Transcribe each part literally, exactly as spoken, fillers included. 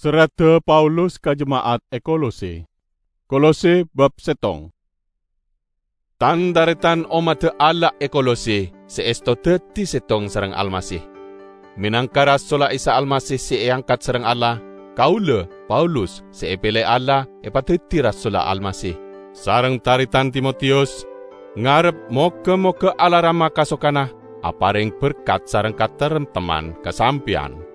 Serradda Paulus ka jema'at è Kolose. Kolose bab settong. Tan-taretan ommadda Allah è Kolose sè èsto dhâddhi settong sareng Almasih. Mènangka rasolla Isa Almasih sè èangkat sareng Allah, kaulâ, Paulus, sè èpèlè Allah, èpadhâddhi rasolla Almasih. Sareng taretan Timotiyus, ngarep moghâ-moghâ Allah Rama kasokanna aparèng berkat sareng kataremtemman ka sampèyan.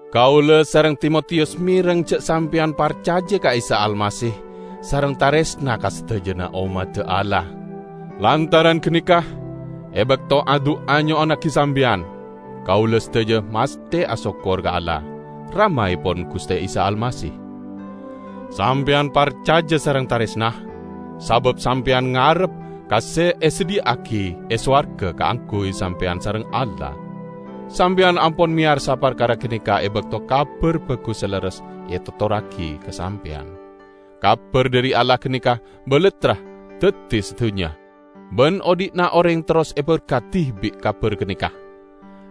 Kaulâ sareng Timotiyus mèreng jhâ' sampèyan parcajâ ka Isa Almasih sareng tarèsna ka sadhâjâna ommadda Allah. Lantaran ghânèka, è bâkto adu'a nyo'onnaghi sampèyan, kaulâ sadhâjâ mastè asokkor ka Allah, Ramaèpon Ghustè Isa Almasih. Sampèyan parcajâ sareng tarèsna, sabâb sampèyan ngarep ka sè èsadhiyâ'aghi è sowarghâ kaangghuy sampèyan sareng Allah. Sampèyan ampon mèyarsa parkara ghânèka è bâkto Kabhâr Bhâghus sè lerres ètotorraghi ka sampèyan. Kabhâr dhâri Allah ghânèka balattra dhâddhi sadhunnya, bân odhi'na orèng terros èberkadhi bi' kabhâr ghânèka.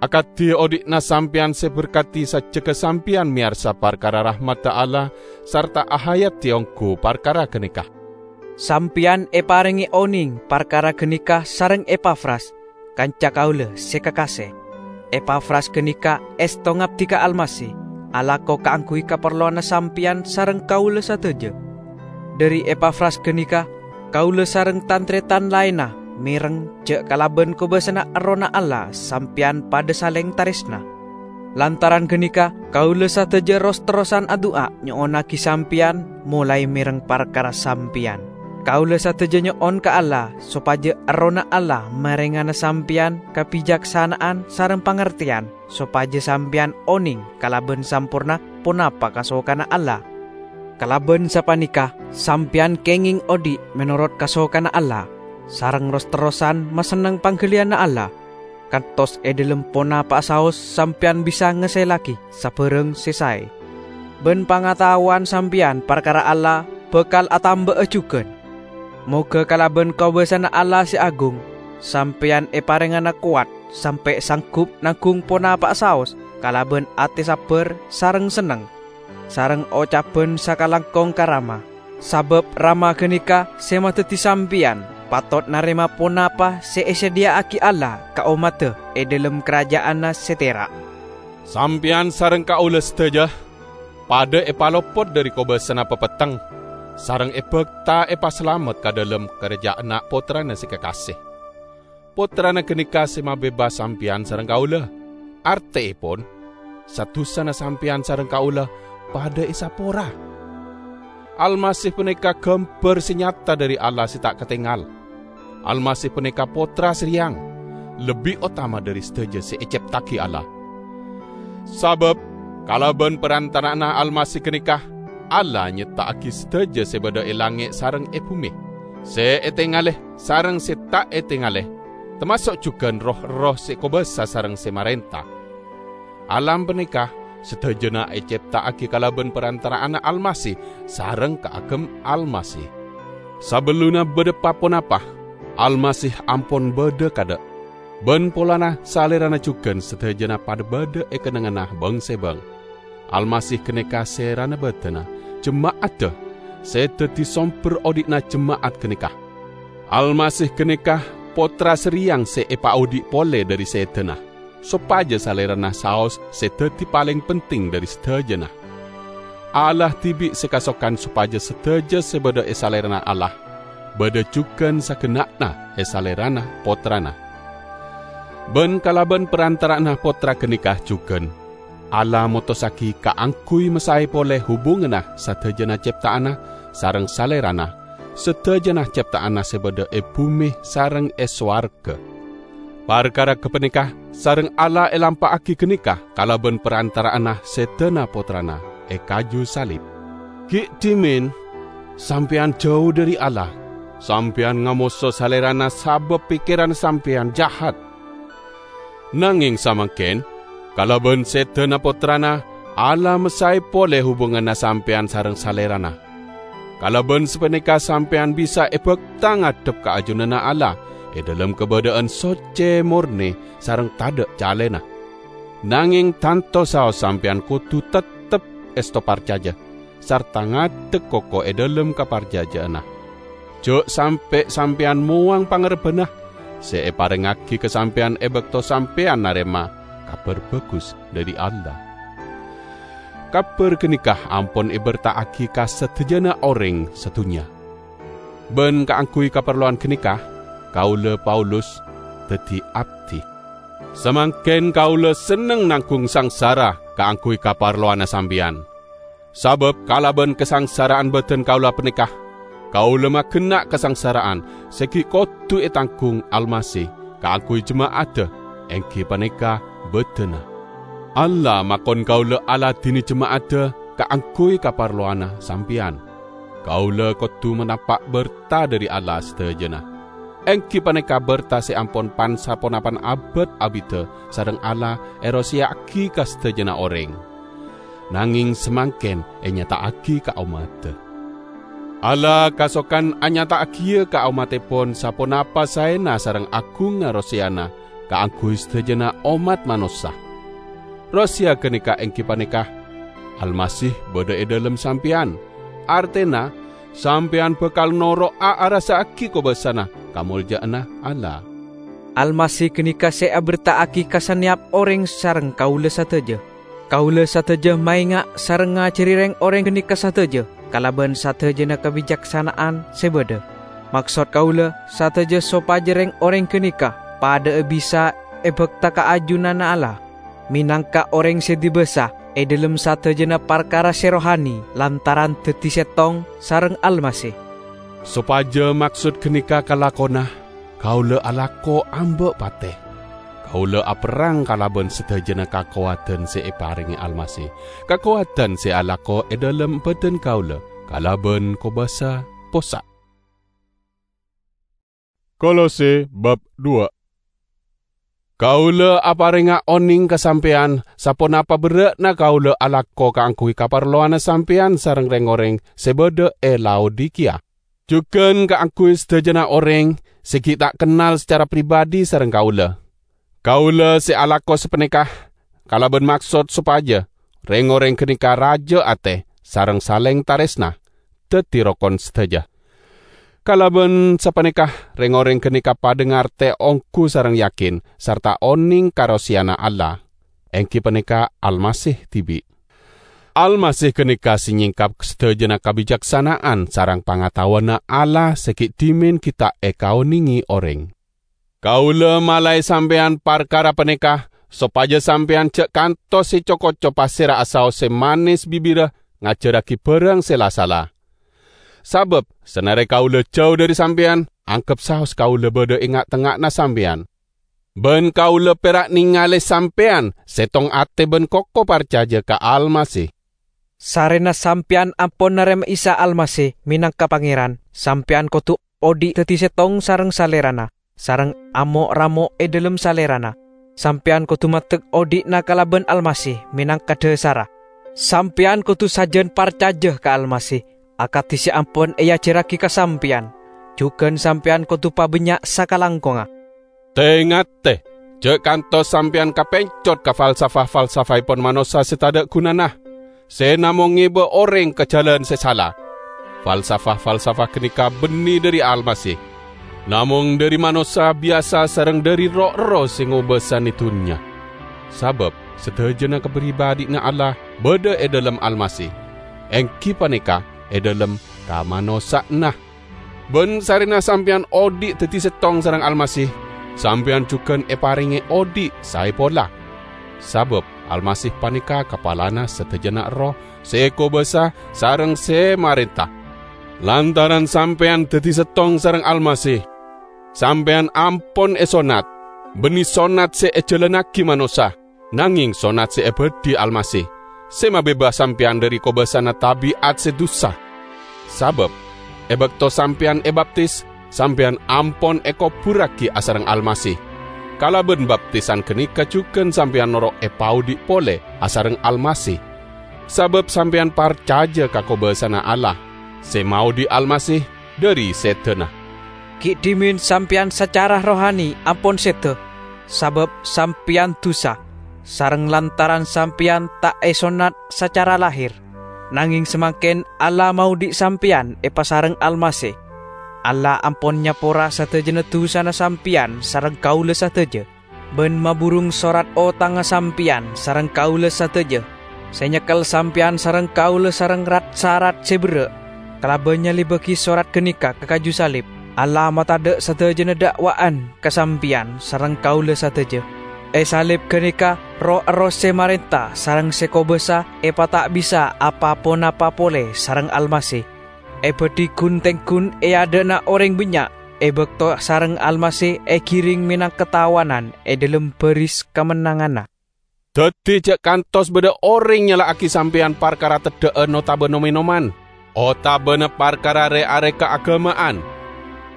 Akadhi odhi'na sampèyan sè èberkadhi sajjhegghâ sampèyan mèyarsa parkara rahmadda Allah sarta ahayadi ongghu parkara ghânèka. Sampèyan èparèngè onèng parkara ghânèka sareng Epafras, kanca kaulâ sè kakasè. Epafras ghânèka èsto ngabdi ka Almasih, alako kaangghuy kaparlowanna sampèyan sareng kaulâ sadhâjâ. Dhâri Epafras ghânèka, kaulâ sareng tan-tarètan laènna mèreng jhâ' kalabân kobâsana Errohna Allah sampèyan padhâ salèng tarèsna. Lantaran ghânèka, kaulâ sadhâjâ ros-terrosan adu'a nyo'onnaghi sampèyan, molaè mèreng parkara sampèyan. Kaulâ sadhâjâ nyo'on ka Allah sopajâ Errohna Allah marèngana sampèyan kabhijaksana'an sareng pangartèyan, sopajâ sampèyan onèng kalabân samporna ponapa kasokanna Allah. Kalabân sapanèka, sampèyan kèngèng odhi' mènorot kasokanna Allah, sareng ros-terrosan masenneng pangghâliyânna Allah, kantos è dhâlem ponapa'a saos sampèyan bisa ngasèllaghi sabhârâng sè saè. Bân pangataowan sampèyan parkara Allah bhâkal atamba'a jhughân. Moghâ kalabân kobâsana Allah sè agung, sampèyan èparèngana kowat sampè' sangghup nangghung ponapa'a saos kalabân atè sabbhâr sareng senneng, sareng ocabhân sakalangkong ka Rama. Sabâb Rama ghânèka sè madhâddhi sampèyan patot narèma ponapa sè èsadhiyâ'aghi Allah ka ommaddhâ è dhâlem karajâ'ânna sè tèra'. Sampèyan sareng kaulâ sadhâjâ padhâ èpalopot dhâri kobâsana papetteng, sareng èbhâkta èpasalamet ka dhâlem karajâ'ânna Pottrana sè kakasè. Pottrana ghânèka sè mabebas sampèyan sareng kaulâ. Artèèpon, sa-dusana sampèyan sareng kaulâ padhâ èsapora. Almasih panèka ghâmbhâr sè nyata dhâri Allah sè ta' katèngal. Almasih panèka Pottra sè rèyang, lebbi otama dhâri sadhâjâ sè ècèpta'aghi Allah. Sabâb kalabân parantara'anna Almasih ghânèka, Allah nyèpta'aghi sadhâjâ sè bâdâ è langngè' sareng è bhumè. Sè ètèngalè sareng sè ta' ètèngalè, tamaso' jhughân roh-erroh sè kobâsa sareng sè marènta. Alam panèka sadhâjâna ècèpta'aghi kalabân parantara'anna Almasih sareng kaagem Almasih. Sabellunna bâdâ pa-ponapa, Almasih ampon bâdâ kaadâ', bân polana Salèrana jhughân sadhâjâna padhâ bâdâ è kennengnganna bâng-sèbâng. Almasih ghânèka sèrana bâdâna jema'addhâ, sè dhâddhi sombher odhi'na jema'at ghânèka. Almasih ghânèka Pottra sè rèyang sè èpaodhi' polè dhâri sèdhâna, sopajâ Salèrana saos sè dhâddhi palèng penting dhâri sadhâjâna. Allah dhibi' sè kasokan sopajâ sadhâjâ sè bâdâ è Salèrana Allah, bâdâ jhughân sagenna'na è Salèrana Pottrana. Bân kalabân parantara'anna Pottra ghânèka jhughân, Allah motossaghi kaangghuy masaè polè hubunganna sadhâjâna cèpta'anna sareng Salèrana, sadhâjâna cèpta'anna sè bâdâ è bhumè sareng è sowarghâ. Parkara ghâpanèka sareng Allah èlampa'aghi ghânèka kalabân parantara'anna sèdhâna Pottrana è kaju salib. Ghi' dhimèn sampèyan jhâu dhâri Allah, sampèyan ngamoso Salèrana sabâb pèkkèran sampèyan jahat. Nangèng samangkèn, kalabân sèdhâna Pottrana, Allah masaè polè hubunganna sampèyan sareng Salèrana. Kalabân sapanèka sampèyan bisa èbhâkta ngadhep ka ajunanna Allah è dhâlem kabâdâ'ân soccè mornè sareng tadâ' calèna. Nangèng tanto saos sampèyan kodhu tettep èsto parcaja, sarta ngadek koko è dhâlem kaparcajâ'ânna. Jhâ' sampè' sampèyan mowang pangarebbhâna sè èparèngngaghi ka sampèyan è bâkto sampèyan narèma Kabhâr Bhâghus dhâri Allah. Kabhâr ghânèka ampon èbherta'aghi ka sadhâjâna orèng sadhunnya. Bân kaangghuy kaparlowan ghânèka, kaulâ, Paulus, dhâddhi abdhi. Samangkèn kaulâ senneng nangghung sangsara kaangghuy kaparlowanna sampèyan. Sabâb kalabân kasangsara'an bhâdhân kaulâ panèka, kaulâ maghenna' kasangsara'an sè ghi' kodhu ètangghung Almasih kaangghuy jema'adda, èngghi panèka bhâdhânna. Allah makon kaulâ aladhinè jema'adda kaangghuy kaparlowanna sampèyan. Kaulâ kodhu manapa' bherta dhâri Allah sadhâjâna, èngghi panèka bherta sè ampon pan-saponapan abâd abidhâ sareng Allah èroseya'aghi ka sadhâjâna orèng. Nangèng samangkèn ènyata'aghi ka ommaddhâ. Allah kasokan anyata'aghiyâ ka ommaddhèpon saponapa saèna sareng aghungnga roseyana kaangghuy sadhâjâna ommat manossa. Roseya ghânèka èngghi panèka, Almasih bâdâ è dhâlem sampèyan, artèna sampèyan bhâkal noro'a arassa'aghi kobâsana kamoljâ'ânna Allah. Almasih ghânèka sè abherta'aghi ka sanèyap orèng sareng kaulâ sadhâjâ. Kaulâ sadhâjâ maènga' sareng ngajhâri rèng-orèng ghânèka sadhâjâ kalabân sadhâjâna kabicaksana'an sè bâdâ. Maksod kaulâ sadhâjâ sopajâ rèng-orèng ghânèka padâ'â bisa èbhâkta ka ajunanna Allah, mènangka orèng sè dibâsa è dhâlem sadhâjâna parkara sè rohani lantaran dhâddhi sèttong sareng Almasih. Sopajâ maksod ghânèka kalakona, kaulâ alako amba' patè. Kaulâ aperrang kalabân sadhâjâna kakowadhân sè èparèngè Almasih, kakowadhân sè alako è dhâlem bhâdhân kaulâ kalabân kobâsa possa'. Kolose bab dua. Kaulâ aparènga onèng ka sampèyan saponapa berrâ'na kaulâ alako kaangghuy kaparlowanna sampèyan sareng rèng-orèng sè bâdâ è Laodikiya, jhughân kaangghuy sadhâjâna orèng sè ghi' ta' kennal sacara pribadi sareng kaulâ. Kaulâ sè alako sapanèka kalabân maksod sopajâ rèng-orèng ghânèka rajâ atè sareng salèng tarèsna, dhâddhi rokon sadhâjâ. Kalabân sapanèka, rèng-orèng ghânèka padâ ngartè ongghu sareng yakin sarta onèng ka roseyana Allah, èngghi panèka Almasih dhibi'. Almasih ghânèka sè nyèngkap sadhâjâna kabicaksana'an sareng pangataowanna Allah sè ghi' dhimèn ghi' ta' èkaonèngè orèng. Kaulâ malaè sampèyan parkara panèka, sopajâ sampèyan jhâ' kantos èco-koco pasèra asaos sè manès bibirra ngajhârraghi bhârâng sè la sala. Sabâb sanarè kaulâ jhâu dhâri sampèyan, angghep saos kaulâ bâdâ è nga'-tengnga'anna sampèyan. Bân kaulâ pèra' nèngalè sampèyan sèttong atè bân koko parcajâ ka Almasih. Sarèna sampèyan ampon narèma Isa Almasih mènangka Pangèran, sampèyan kodhu odhi' dhâddhi sèttong sareng Salèrana, sareng amo'-ramo' è dhâlem Salèrana. Sampèyan kodhu maddhek odhi'na kalabân Almasih mènangka dhâsarra. Sampèyan kodhu sajân parcajâ ka Almasih, akadhi sè ampon èajhârraghi ka sampèyan. Jhughân sampèyan kodhu pabânnya' sakalangkongnga. Tè-ngatè, jhâ' kantos sampèyan kapèncot ka falsafah-falsafaèpon manossa sè tadâ' ghunana, sè namong ngèbâ orèng ka jhâlân sè sala. Falsafah-falsafah ghânèka bânnè dhâri Almasih, namong dhâri manossa biyasa sareng dhâri ro'-erroh sè ngobâsanè dhunnya. Sabâb sadhâjâna kapribadhi'na Allah bâdâ è dhâlem Almasih, èngghi panèka è dhâlem kamanossa'anna. Bân sarèna sampèyan odhi' dhâddhi sèttong sareng Almasih, sampèyan jhughân èparèngè odhi' saè pola. Sabâb Almasih panèka kapalana sadhâjâna erroh sè èkobâsa sareng sè marènta. Lantaran sampèyan dhâddhi sèttong sareng Almasih, sampèyan ampon èsonnat, bânnè sonnat sè èjhâlânnaghi manossa, nangèng sonnat sè èbâdhi Almasih, sè mabebas sampèyan dhâri kobâsana tabi'at sè dusa. Sabâb è bâkto sampèyan èbaptis, sampèyan ampon èkobhurraghi asareng Almasih. Kalabân baptisan ghânèka jhughân sampèyan noro' èpaodhi' polè asareng Almasih. Sabâb sampèyan parcajâ ka kobâsana Allah, sè maodhi' Almasih dhâri sèdhâna. Ghi' dhimèn sampèyan sacara rohani ampon sèdhâ, sabâb sampèyan dusa, sareng lantaran sampèyan ta' èsonnat sacara lahèr. Nangèng samangkèn Allah maodhi' sampèyan èpasareng Almasih. Allah ampon nyapora sadhâjâna dhusana sampèyan sareng kaulâ sadhâjâ, bân maburung sorat otangnga sampèyan sareng kaulâ sadhâjâ, sè nyekkel sampèyan sareng kaulâ sareng rat-sarat sè berrâ'. Kalabân nyalibâghi sorat ghânèka ka kaju salib, Allah matadâ' sadhâjâna dâ'wa'an ka sampèyan sareng kaulâ sadhâjâ. È salib ghânèka, roh erroh sè marènta sareng sè kobâsa èpata' bisa apa-ponapa polè sareng Almasih. Èbâdhi ghun-tèngghun è adâ'na orèng bânnya', è bâkto sareng Almasih èghirèng mènangka tawanan è dhâlem bâris kamennanganna. Dhâddhi jhâ' kantos bâdâ orèng nyala'aghi sampèyan parkara teddhâ'ân otabâ nom-ènoman, otabâna parkara rè-arè kaagâma'an,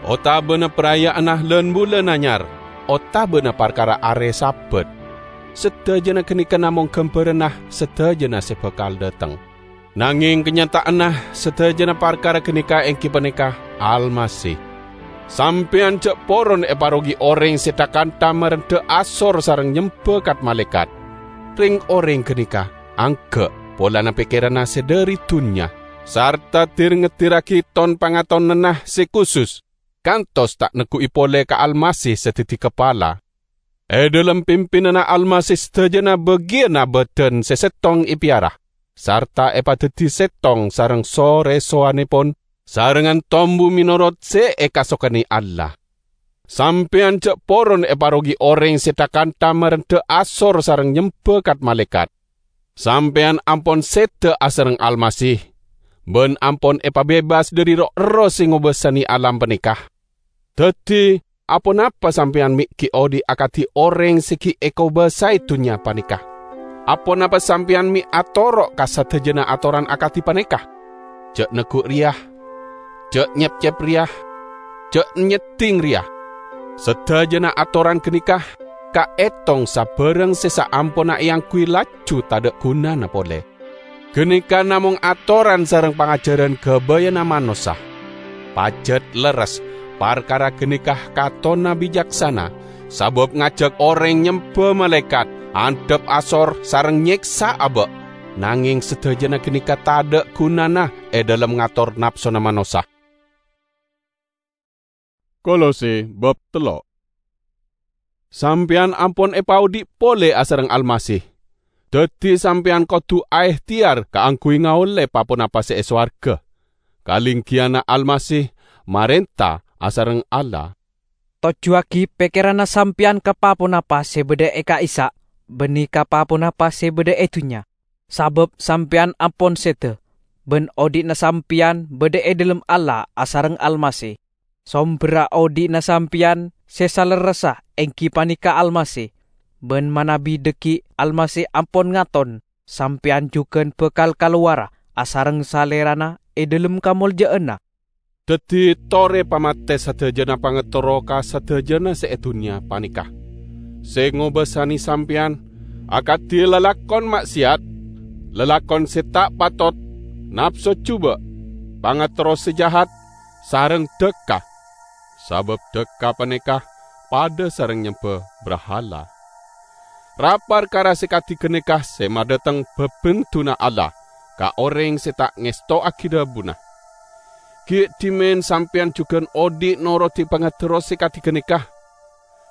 otabâna paraya'anna lan-bulân anyar, otabâna parkara arè Sabat. Sadhâjâna ghânèka namong ghâmbhârânna sadhâjâna sè bhâkal dâteng. Nangèng kanyata'anna sadhâjâna parkara ghânèka èngghi panèka Almasih. Sampèyan jhâ' poron èparogi orèng sè tha-kantha marendhâ asor sareng nyembhâ kat-malaèkat. Rèng-orèng ghânèka angghâ' polana pèkkèranna sè dhâri dhunnya, sarta dir-ngedirraghi ton-pangatonanna sè kusus, kantos ta' negghu'i polè ka Almasih sè dhâddhi kapala. È dhâlem pimpinanna Almasih sadhâjâna bâgiyânna bâdân sè sèttong èpèyara, sarta èpadhâddhi sèttong sareng so-rèsowanèpon, sarengngan tombu mènorot sè èkasokanè Allah. Sampèyan jhâ' poron èparogi orèng sè tha-kantha marendhâ asor sareng nyembhâ kat-malaèkat. Sampèyan ampon sèdhâ asareng Almasih, bân ampon èpabebas dhâri roh-erroh sè ngobâsanè alam panèka. Dhâddhi, aponapa sampèyan mè' ghi' odhi' akadhi orèng sè ghi' èkobâsaè dhunnya panèka? Aponapa sampèyan mè' atoro' ka sadhâjâna atoran akadhi panèka? "Jhâ' negghu' rèya, jhâ' nyepcep rèya, jhâ' nyeddhing rèya." Sadhâjâna atoran ghânèka kaètong sabârâng sè saamponna èangghuy laju tadhâ' ghunana polè. Ghânèka namong atoran sareng pangajhârân ghâbâyânna manossa. Pajhât lerres parkara ghânèka katonna bicaksana, sabâb ngajhâk orèng nyembhâ malaèkat, andhâp asor sareng nyèksa abâ'. Nangèng sadhâjâna ghânèka tadhâ' ghunana è dhâlem ngator napsona manossa. Kolose bab tello'. Sampèyan ampon èpaodhi' pole asareng Almasih. Daddi sampèyan kodu aehteyar kaangguy ngaolle pa-ponapa se e sowarga. Kalenggiyanna Almasih marenta asareng Allah. Tojjuwagi pekkeranna sampèyan ka pa-ponapa se badha e ka'issa', banne ka pa-ponapa se badha e dunnya. Sabab sampèyan ampon seda, ban odhi'na sampèyan badha e dhalem Allah asareng Almasih. Somberra odhi'na sampèyan se salerressa enggi paneka Almasih, ban manabi dhaggi' Almasih ampon ngaton, sampèyan jugan bakal kalowara asareng Salerana e dhalem kamolja'anna. Daddi, tore pamate sadajana pangaterro ka sadajana se e dunnya paneka. Se ngobasane sampèyan akadi lalakon ma'seyat, lalakon se ta' patot, napso juba', pangaterro se jahat, sareng dhakka. Sabab dhakka paneka padha sareng nyemba brahala. Ra-parkara se kadi ganeka se madhateng babenduna Allah ka oreng se ta' ngestowagi dhabuna. Gi' dhimen sampèyan jugan odhi' norodi pangaterro se kadi ganeka,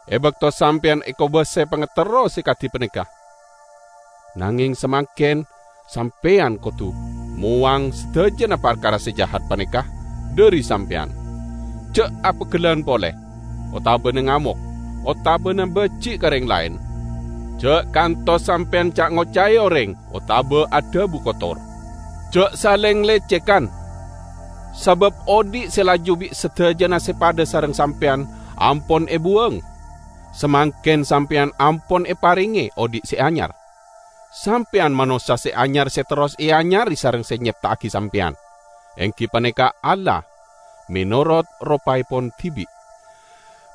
e bakto sampèyan ekobase pangaterro se kadi paneka. Nangeng samangken sampèyan kodu mowang sadajana parkara se jahat paneka dhari sampèyan. Ja' apegellan pole, otabana ngamok, otabana baji' ka reng laen. Ja' kantos sampèyan ca'-ngocae oreng otaba adhabu kotor. Ja' saleng lecekan, sabab odhi' se laju bi' sadajana se padha sareng sampèyan ampon ebuwang. Samangken sampèyan ampon eparenge odhi' se anyar. Sampèyan manossa se anyar se terros eanyare sareng se nyepta'agi sampèyan, enggi paneka Allah, menorot ropaepon dibi'.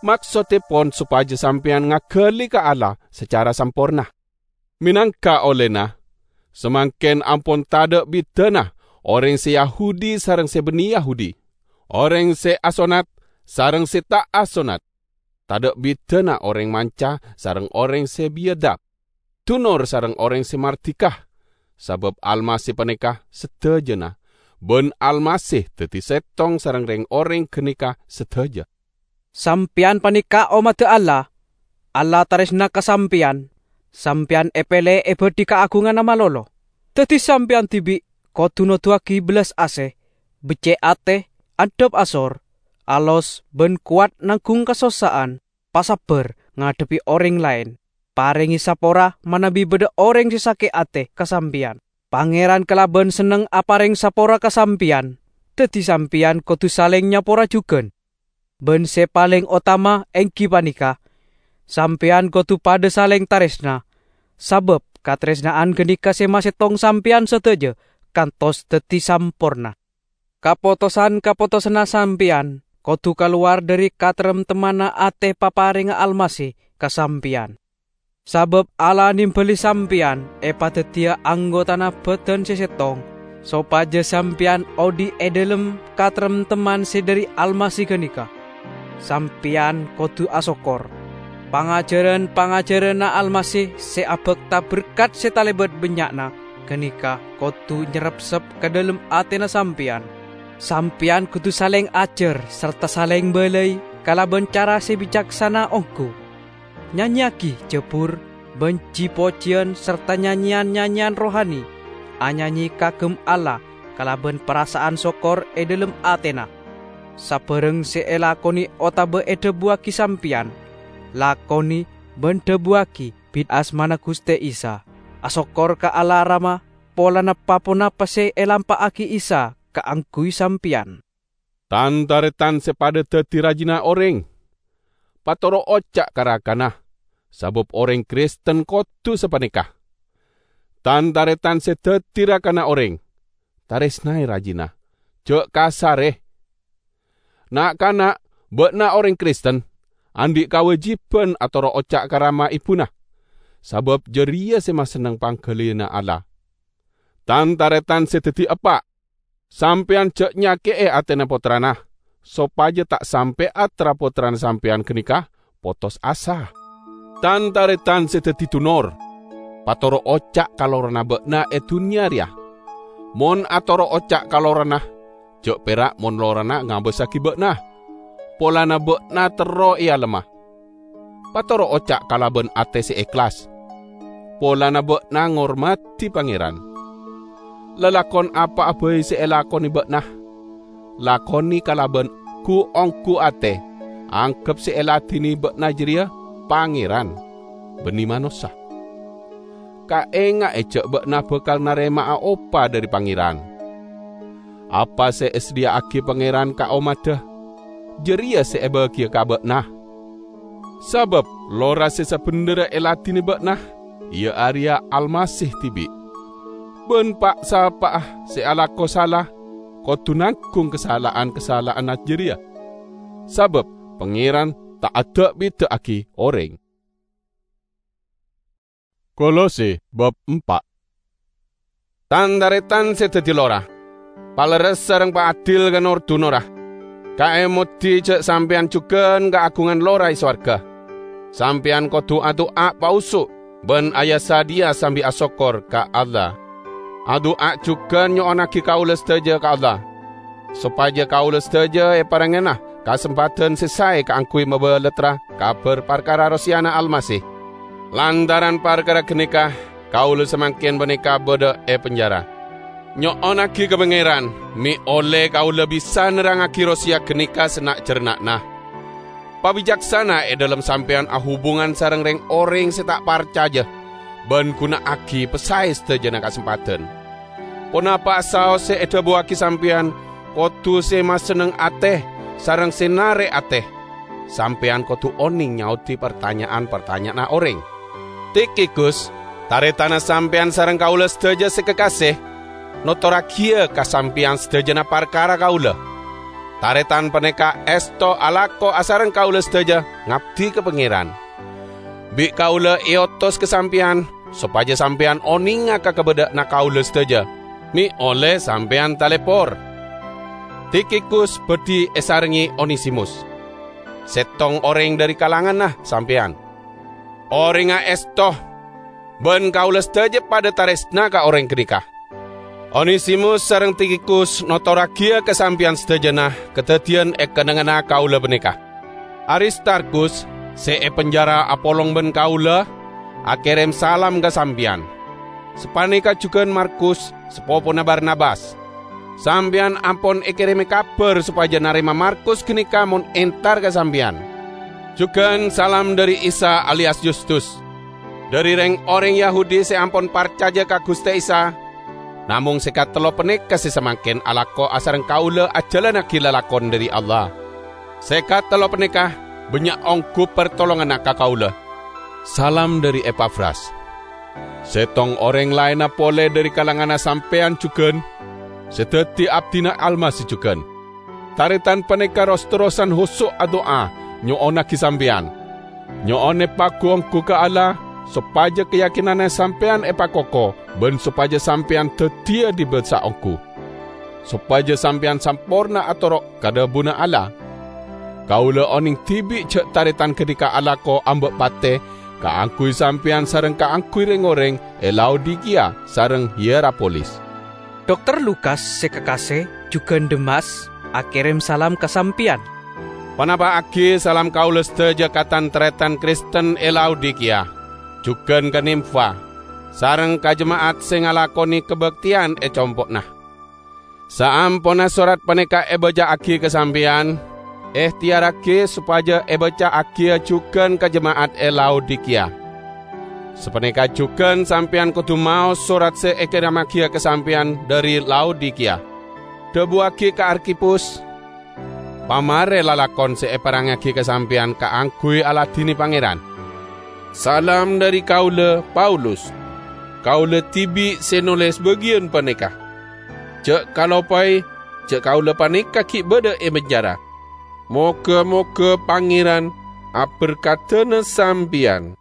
Maksoddhepon sopaja sampèyan ngagali ka Allah sacara samporna. Menangka ollena, samangken ampon tadha' bidana oreng se Yahudi sareng se banne Yahudi, oreng se asonnat sareng se ta' asonnat, tadha' bidana oreng manca sareng oreng se biyadab, dunor sareng oreng se mardika, sabab Almasih paneka sadajana, ban Almasih daddi settong sareng reng-oreng ganeka sadaja. Sampeyan paneka ommadda Allah. Allah taresna ka sampeyan. Sampeyan epele ebadhi kaagunganna malolo. Daddi sampeyan dibi' kodu noduwagi bellas ase, becce' ate, andhap asor, alos ban kowat nanggung kasossa'an, pasabbar ngadhebbi oreng laen. Parenge sapora manabi badha oreng se sake' ate ka sampeyan. Pangeran kalaban senneng apareng sapora ka sampeyan, daddi sampeyan kodu saleng nyapora jugan. Ban se paleng otama enggi paneka, sampeyan kodu padha saleng taresna, sabab kataresna'an ganeka se masettong sampeyan sadaja kantos daddi samporna. Kapotosan-kapotosanna sampeyan kodu kalowar dhari kataremtemmanna ate paparengnga Almasih ka sampeyan. Sabab Allah nembali sampeyan epadaddiya anggotana badan se settong, sopaja sampeyan odhi' e dhalem kataremtemman se dhari Almasih ganeka. Sampeyan kodu asokkor. Pangajaran-pangajaranna Almasih se abakta berkat se talebat bannya'na ganeka kodu nyerrepsep ka dhalem atena sampeyan. Sampeyan kodu saleng ajar sarta saleng balai kalaban cara se bicaksana onggu. Nyanyeyagi jabur ban ji-pojiyan sarta nyanyeyan-nyanyeyan rohani, anyanye kagem Allah kalaban parasa'an sokkor e dhalem atena. Sabarang se elakone otaba edhabuwagi sampeyan, lakone ban dhabuwagi bi' asmana Guste Isa. Asokkor ka Allah Rama polana pa-ponapa se elampa'agi Isa kaangguy sampeyan. Tan-taretan se padha daddi rajina oreng, patoro' oca' ka rakana, sabab oreng Kristen kodu sapaneka. Tan-taretan se daddi rakana oreng, taresnae rajina, ja' kasare. Na'-kana', ba'na oreng Kristen, andhi' kawajiban atoro' oca' ka rama ebuna, sabab jareya se masenneng panggaliyanna Allah. Tan-taretan se daddi eppa', sampeyan ja' nyake'e atena pottrana, sopaja ta' sampe' tra-pottrana sampeyan ganeka potos asa. Tan-taretan se daddi dunor, patoro' oca' ka lorana ba'na e dunnya reya. Mon atoro' oca' ka lorana, ja' pera' mon lorana ngabasagi ba'na, polana ba'na terro ealemma. Patoro' oca' kalaban ate se ehlas, polana ba'na ngormadi Pangeran. Lalakon apa'a bai se elakone ba'na, lakone kalaban gu-onggu ate, anggep se eladine ba'na jareya Pangeran, banne manossa. Kaenga'e ja' ba'na bakal narema'a opa dhari Pangeran. Apa se esadhiya'agi Pangeran ka ommadda, jareya se ebagiya ka ba'na. Sabab lora se sabendherra eladine ba'na, iya areya Almasih dibi'. Ban pa'-sapa'a se alako sala kodu nanggung kasala'an-kasala'anna jareya, sabab Pangeran ta' ada'-bida'agi oreng. Kolose bab empa'. Tan-taretan se daddi lora, palerres sareng paadil ka nor-dunorra. Kaemodi ja' sampeyan jugan kaagungan lora e sowarga. Sampeyan kodu adu'a paoso' ban aya-sadhiya sambi asokkor ka Allah. Adu'a jugan nyo'onnagi kaula sadaja ka Allah, sopaja kaula sadaja eparengngana kasempadhan se sae kaangguy mabalattra kabar parkara roseyana Almasih. Lantaran parkara ganeka, kaula samangken paneka badha e penjara. Nyo'onnagi ka Pangeran, me' olle kaula bisa nerrangngagi roseya ganeka sanna'-jarna'na. Pabicaksana e dhalem sampeyan ahubungan sareng reng-oreng se ta' parcaja, ban guna'agi pasae sadajana kasempadhan. Ponapa saos se edhabuwagi sampeyan kodu se masenneng ate sareng se narek ate. Sampeyan kodu oneng nyaodi partanya'an-partanya'anna oreng. Tikhikus, taretanna sampeyan sareng kaula sadaja se kakase, notorragiya ka sampeyan sadajana parkara kaula. Taretan paneka esto alako asareng kaula sadaja ngabdi ka Pangeran. Bi' kaula eotos ka sampeyan, sopaja sampeyan onenga ka kabadha'anna kaula sadaja, me' olle sampeyan talepor. Tikhikus badhi esarengngagi Onesimus, settong oreng dhari kalanganna sampeyan. Orengnga esto, Ban kaula sadaja padha taresna ka oreng ganeka. Onesimus sareng Tikhikus notorragiya ka sampeyan sadajana kadaddiyan e kennengnganna kaula paneka. Aristarkhus, se e penjara apolong ban kaula, akerem salam ka sampeyan. Sapaneka jugan Markus, sapopona Barnabas. Sampeyan ampon ekereme kabar sopaja narema Markus ganeka mon entar ka sampeyan. Jugan salam dhari Isa alias Yustus, dhari reng-oreng Yahudi se ampon parcaja ka Guste Isa, namong se katello paneka se samangken alako asareng kaula ajalannagi lalakon dhari Allah. Se katello paneka bannya' onggu partolonganna ka kaula. Salam dhari Epafras. Settong oreng laenna pole dhari kalanganna sampeyan jugan, se daddi abdina Almasih jugan. Taretan paneka ros-terrosan hoso' adu'a nyo'onnagi sampeyan. Nyo'one pagu-onggu ka Allah, sopaja kayakinanna sampeyan epakoko ban sopaja sampeyan daddiya dibi' saonggu. Sopaja sampeyan samporna atoro' ka dhabuna Allah. Kaula oneng dibi' ja' taretan ganeka alako amba' pate kaangguy sampeyan sareng kaangguy reng-oreng e Laodikiya sareng Hierapolis. Dokter Lukas se kakase, jugan Demas, akerem salam ka sampeyan. Ponapa'agi salam kaula sadaja ka tan-taretan Kristen e Laodikiya, jugan ka Nimfa, sareng ka jema'at se ngalakone kabakteyan e compo'na. Saamponna sorat paneka ebaca'agi ka sampeyan, ehteyarragi sopaja ebaca'agiya jugan ka jema'at e Laodikiya. Sapaneka jugan sampeyan kodu maos sorat se ekeremmagiya ka sampeyan dhari Laodikiya. Dhabuwagi ka Arkhipus, "Pamare lalakon se eparengngagi ka sampeyan kaangguy aladine Pangeran." Salam dhari kaula, Paulus. Kaula dibi' se noles bagiyan paneka. Ja' kalopae, ja' kaula paneka gi' badha e penjara. Moga-moga Pangeran aberkadana sampeyan.